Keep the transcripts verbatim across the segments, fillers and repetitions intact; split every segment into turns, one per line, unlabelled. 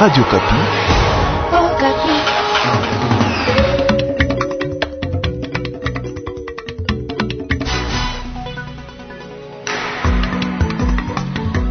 Radio Okapi.
Oh, Okapi.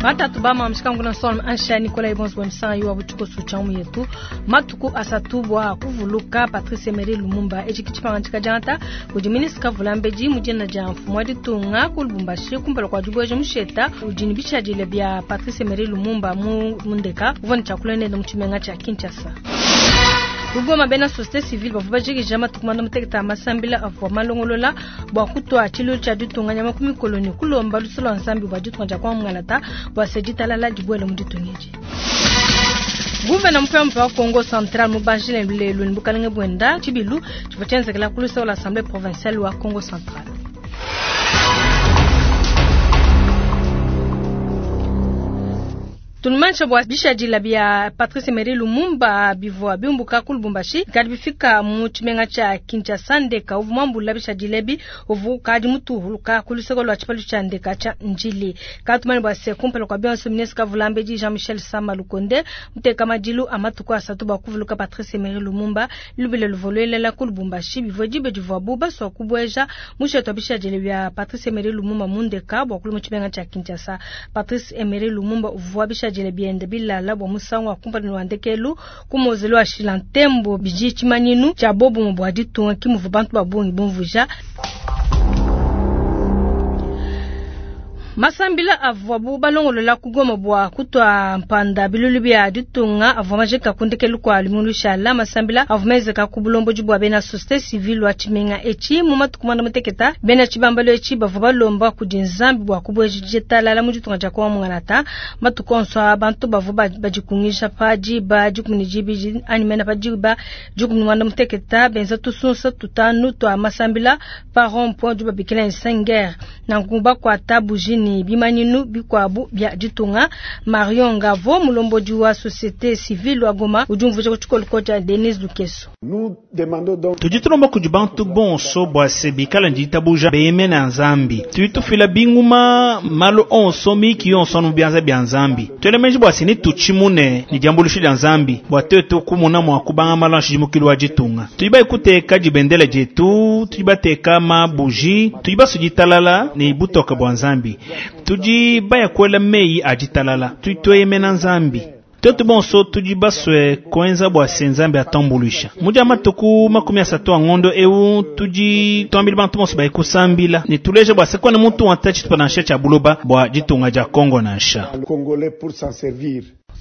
Batatu bama mshikangu na sol ansha Nicolas Ibons bwemsanga yuwa butuko suchamu yetu matuku asatu bwa kuvuluka Patrice Emery Lumumba echi kichipanga chika janta udi ministre vulambeji mujina ja mfumu ditunga ku Lubumbashi kumpala kwa dibweje musheta udi bishadile bya Patrice Emery Lumumba mu mundeka uvone chakula nende muchimenga cha Kinshasa. Lugoma bena société civile bavua bajikija matuku manda muteketa masambila avua malongolola bua kutua tshilu tshia ditunga nyama ku mikoloni kulomba lusu lua nzambi bua ditunga dia kuamungalata bua se ditalala dibuele mu ditunga edi. Guvena mupya wa Kongo Central mubanjile lelu ni bukalenge bwenda tshibilu tshivua tshienzekela ku luseke lua Assemblée provinciale wa Kongo Central. Tunumanisha bua bishadila bya Patrice Emery Lumumba bivua biumbuka ku Lubumbashi kadi bifika mu tshimenga tshia Kinshasa ndeka uvua muambula bishadila ebi uvua kadi mutuhuluka ku luseke lua tshipalu tshia ndeka tshia Njili. Katumani bua se kumpala kua bionso ministre Kavulambedi Jean-Michel Sama Lukonde muteka madilu a matuku asatu bua kuvuluka Patrice Emery Lumumba lubile luvoluelela ku Lubumbashi bivua dibe divuabu basua kubueja mushetu wa bishadila bya Patrice Emery Lumumba mu ndeka bua kulu mu tshimenga tshia Kinshasa. Patrice Emery Lumumba uvua bishadila biende bilala bua musangu wa kumpala wa ndekelu ku mozelo wa Shilantembo bidi tshimanyinu tshia bobumu bua ditunga kimuvu bantu ba bungi bumvuja. Masambila avua balongolola kugoma bua kutua mpanda bilulu bya ditunga avua majika kundekelu kwa lumingu shala. Masambila avua menzeka ku bulombodi bua bena société civile wa tshimenga echi mu matuku manda muteketa bena tshibambalo echi bavua balomba kudi nzambi bua kubueja ditalala mu ditunga dia kuamungalata. Matuku onso a bantu bavua badikungisha pa diba dikumi ne dibidi anyi mena pa diba dikumi ne muanda muteketa benza tusunsa tutanu tua masambila pa rond-point du babikila Nsenger nanku bakuata bujini bimanyinu bikwabu bya ditunga. Marion Ngavo mulombodi wa société civile wa Goma udi umvuja ku tshikolo tshia Denise Lukeso.
Tudi tulomba kudi bantu bonso bua se bikala nditabuja beyemena nzambi tudi tufila binguma malu onso miki yonso anu bianza bya nzambi tuelemeji bua se ni tutshimune ni diambuluisho dia nzambi bua tuetu kumona mua kubanga malu a nshidimukilu wa ditunga. Tudi baikuteka dibendela dietu, tudi bateka mabuji, tudi basuditalala ni butoka bua nzambi, tudi bayakwela meyi a ditalala, tudi tueyemena nzambi. Tuetu bonso tudi baswe kuenza bua se nzambi atambuluisha mudia matuku makumi asatu a ngondo eu tudi tuambila bantu bonso bayikusambila ne tuleja bua se kwana muntu wanta tshitupa nansha tshia buloba bua ditunga dia Kongo nansha.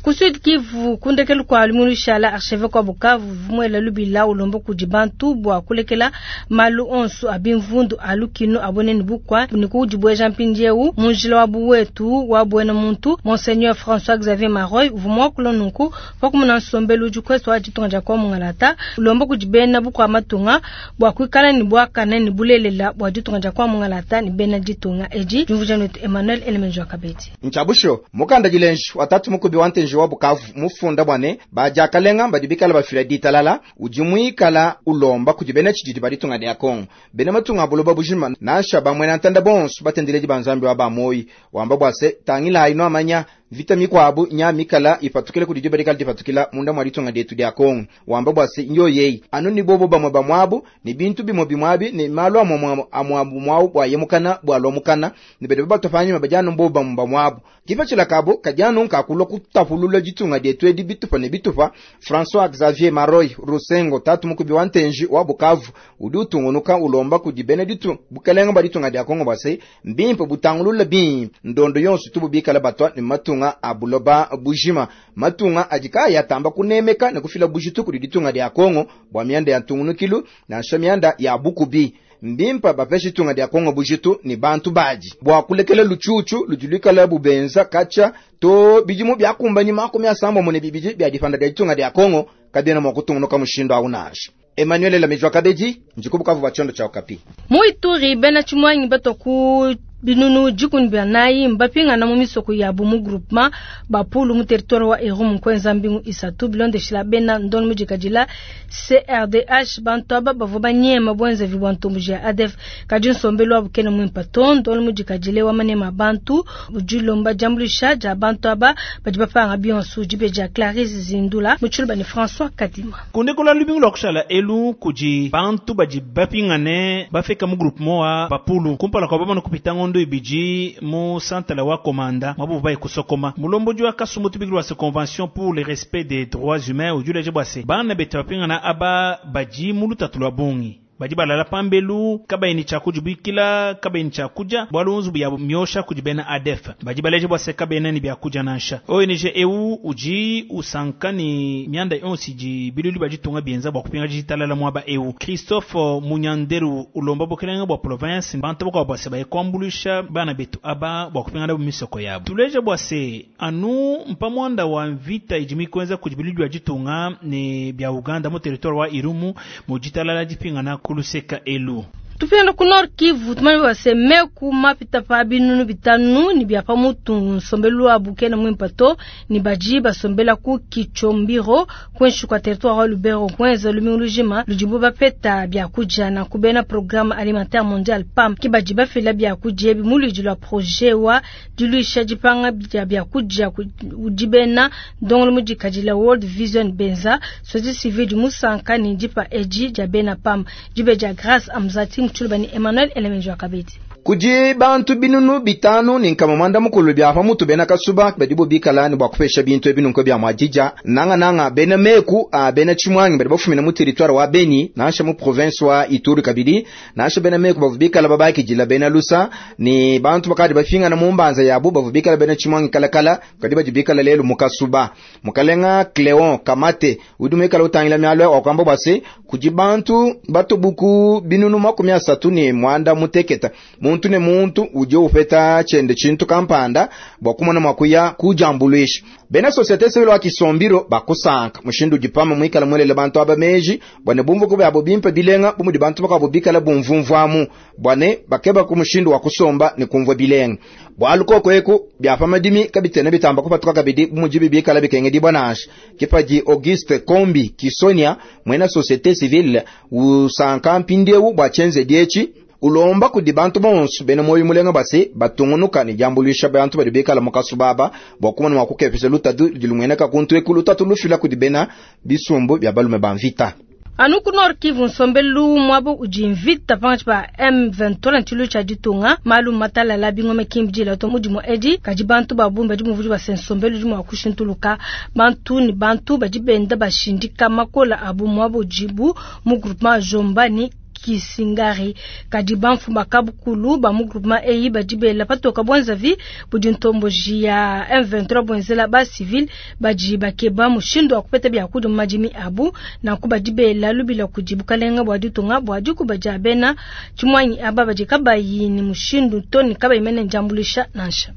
Ku Sud Kivu kundekelu kwa lumingu shala archevêque wa Bukavu vumwela lubila ulombo kudi bantu bua kulekela malu onso abimvundu alukino aboneni bukwa ni kudibweja mpindieu munjila wa buwetu wa bwena muntu. Monseigneur François Xavier Maroy vumwa kulonunku pakumuna nsombelu udi kwesu wa ditunga dia kuamungalata ulombo kudi bena bukwa matunga bua kuikala ni bwakana ni bulelela bua ditunga dia kuamungalata ni bena ditunga edi jumvuja netu Emmanuel Elemenjo Kabedi
Nchabusho mukanda jilenji watatu mukubi wante wa Bukavu mufunda bwane bajakalenga badibikala bafila ditalala udi muikala ulomba kudi bena tshididi baditunga dia Kongo bena matunga buloba bujima nasha bamwe na ntanda bonso batendeledi banzambi wa bamoyi wamba bwase tangila haino amanya vita mikwabu nya mikala ipatukile kudi diba dipatukila munda mwa ditunga dietu dia Kongo wamba bwase nyo yeyi anu ni bobo bamwe bamwabu ni bintu bimwe bimwabi ni malu amwe amwabu mwabu bwa yemukana bwa lomukana ni bede batofanya mabajanu mbo bamwe bamwabu kifa chilakabo kajanu nkakulwa kutapulula ditunga dietu edi bitupa ne bitupa. François Xavier Maroy Rusengo tatu mukubi wa ntenji wa Bukavu udi utungunuka ulomba kudi bena ditu bukalenga ba ditunga dia Kongo bwase mbimpe butangulula bimpe ndondo yonso tububikala batwa ni matunga abuloba bujima matunga adika yatamba kunemeka ne kufila bujitu kudi ditunga dia Kongo bwa mianda ya ntungunukilu nansha mianda ya bukubi mbimpa bapesha ditunga dia Kongo bujitu ni bantu baji bwa kulekela luchuchu lujulikala bubenza kacha to bijimu byakumbanyi makumi asambo mune bibiji bya difanda dia ditunga dia Kongo kabena mwa kutungunuka mushindo aunasha. Emmanuel Lamejwa Kabeji njikubukavu bachondo cha Okapi.
Muituri bena chimwanyi batoku Binunu dikumi bia mbapingana mu misoko yabu mu groupement bapulu mu territoire wa Irumu kwenza mbingu isatu bilondeshila bena ndon mujikadila C R D H bantu aba bavua banyema bwenza vibwa ntomboji ya A D F kadi nsombelu wabu kena mwimpa to ndon mujikadile wa manema bantu ujilomba jambulisha ja bantu aba badi bapanga bionso jibeja Clarisse Zindula muchuluba ni François Kadima
kundikola lubingu lwa kushala elu kuji bantu badi bapingane bafika mu groupement wa bapulu kumpala kwa bamana kupita ngondo ibiji mu santala wa komanda mabu bayi kusokoma mulomboji wa kasumbu tubigilwa se convention pour le respect des droits humains ujule jebwase bana bete bapingana aba baji mulutatu lwa bungi badi balala pambelu kabaini cha kujibikila kabaini cha kuja bwalunzu bya myosha kujibena A D F badi baleje bwase kabena ni bya kuja nansha O N G E U uji usankani myanda yonsi ji bilulu bajitunga bienza bwa kupinga jitalala mwaba E U Christophe Munyanderu ulomba bokelenga bwa province bantu bwa bwase baye kwambulisha bana betu aba bwa kupinga na misoko yabo tuleje bwase anu mpamwanda wa mvita ijimi kwenza kujibilulu bajitunga ni bya Uganda mu territoire wa Irumu mu jitalala jipinga na kuluseka elu
Tupenda ku Nord Kivu tumani waseme ku mapita pa binunu bitanu ni bya pamutu nsombelu wa bukena mwimpato ni baji basombela ku Kichombiro kwenshi kwa territoire wa Lubero kwenza lumiulujima lujibu bapeta bya kuja na kubena programme alimentaire mondiale P A M kibaji bafela bya kuja bimuliji la projet wa diluisha jipanga bya bya kuja ujibena ndongolo mujikajila World Vision Benza sozi civil du Musanka ni jipa eji jabena P A M jibeja Grace Amzati Chulubani Emmanuel Elemenjo Akabeti.
Kuji bantu binunu bitanu ni nkama mwanda mukulu bya pamutu bena kasuba badibo bikala ni bwa kupesha bintu ebinu nko bya mwajija nanga nanga bena meku a bena chimwangi badibo fumina mu territoire wa Beni nansha mu province wa Ituri kabidi nansha bena meku bavubikala babaki jila bena lusa ni bantu bakadi bafinga na mumbanza yabo bavubikala bena chimwangi kalakala kadi bajibikala lelo mukasuba mukalenga Cleon Kamate udumikala utangila myalo wa kwamba bwase kuji bantu batubuku binunu makumi asatu ni mwanda muteketa muntu ne muntu uje upeta chende chintu kampanda bwa kumona mwakuya kujambulisha bena societe civile wa Kisombiro bakusanka mushindu jipama mwikala mwelele bantu abameji bwane bumvu kube abo bimpe bilenga bumudi bantu bakabo bikala bumvumvwamu bwane bakeba ku mushindu wa kusomba ni kumvwa bilenga bwaluko kweku bya madimi kabitene bitamba kupatuka kabidi bumujibi bikala bikenge dibonasha kipaji Auguste Kombi Kisonia mwena societe civile usanka mpindiewu bwa chenze diechi ulomba kudi bantu bonso bene moyo mulenga basi batungunuka ni jambulisha bantu bali bikala mukasubaba bwa kumona mwakukepesa lutatu dilumweneka kuntu ekulu tatu lufila kudi bena bisumbu bya balume banvita
Anuku Nord Kivu nsombelu mwabo ujimvita pangachi pa M vingt-trois ntilu cha ditunga malu matala la bingome kimbjila to mudi mo edi kaji bantu babumba di muvuji ba sensombelu di mwa kushintuluka bantu ni bantu bajibenda bashindika makola abu mwabo jibu mu groupement Jombani Kisingari kadi banfu bakabukulu ba mu groupement eyi bajibela patoka bwanzavi budi ntomboji ya M vingt-trois bwenzela ba civil baji bakeba mushindo wa kupeta bya kudu majimi abu na kubajibela lubila kujibu kalenga bwa ditunga bwa dikubaja bena chimwanyi aba baji kabayi ni mushindo toni kabayi mene njambulisha nansha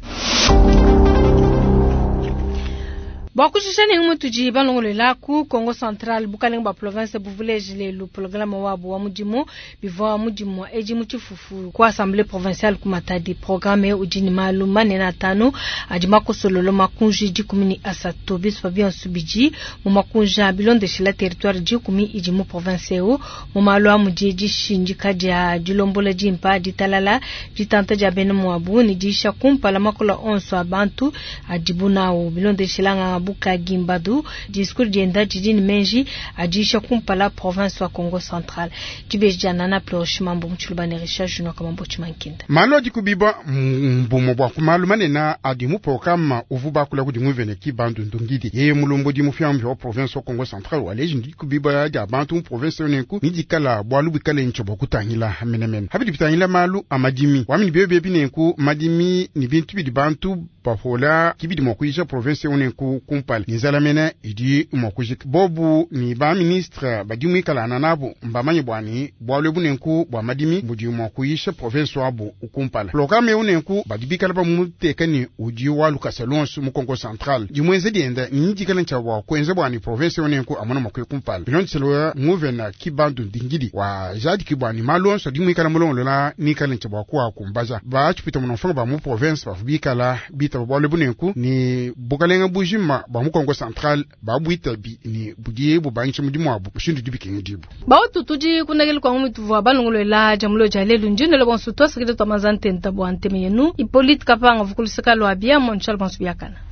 Bwakushisha ni mutuji balongolela ku Congo Central bukalenga ba province buvulejile lelu programme wabo wa mudimu bivwa mudimu eji muchifufu ku assemblée provinciale ku Matadi programme ujini malu manene atano adi makosololo makunji dikumi ni asatu biswa bionso bidi mu makunja bilondeshela territoire dikumi idi mu province eu mu malu a mudi dishindika dia dilombola dimpa ditalala ditanta dia bena mwabu ni disha kumpala makola onso a bantu adibu nawo bilondeshela nga Buka Gimbadu discours dienda didini menji adisha kumpala province wa Congo Central dibeja nana plosh mambo mchulubani Richard Junior kamambo chimankinda
malo adikubiba mbumo bwa kumalu manena adi mu programme uvuba kula kudi nguvene ki bandu ndungidi ye mulombo di mufyambi wa province wa Congo Central waleji ndikubiba dia bantu mu province yonenku nidikala bwalu bikale nchobo kutangila menemene habidi bitangila malu amadimi wamini bebe binenku madimi ni bintu bidi bantu bapola kibidi mua kuyisha province eu nenku kumpala ni nzala mene idi mua kujika bobu ni ba ministre badi muikalana nabo mbamanye bwani bwalu ebu nenku bwa madimi budi mua kuyisha province wabu kumpala programme eu nenku badi bikala bamuteka ni udi wa lukasa lonso mu Kongo Central dimwenze dienda ni dikala ntshia bua kuenza bwani province eu nenku amona mua kuya kumpala bilondeselo nguvena kibandu ndingidi wa jadiki bwani malu onso adi muikala mulongolola nikala ntshia bua kuakumbaja batshipita munomfanga ba mu province bavu bikala bitaba bwalu ebu nenku ni bukalenga bujima bua mu Kongo Central babwitabi ni budi bubangisha mudimu wabu mushindu dibikenga dibu
bautu tudi kunakeli kwa ngumi tuvua balongolola jamulo ja lelu ndinelo bonso twasakile twa manza ntenta bua nteme yenu Hippolyte Kapanga vukuluseka lwa bia montshal bonso biakana.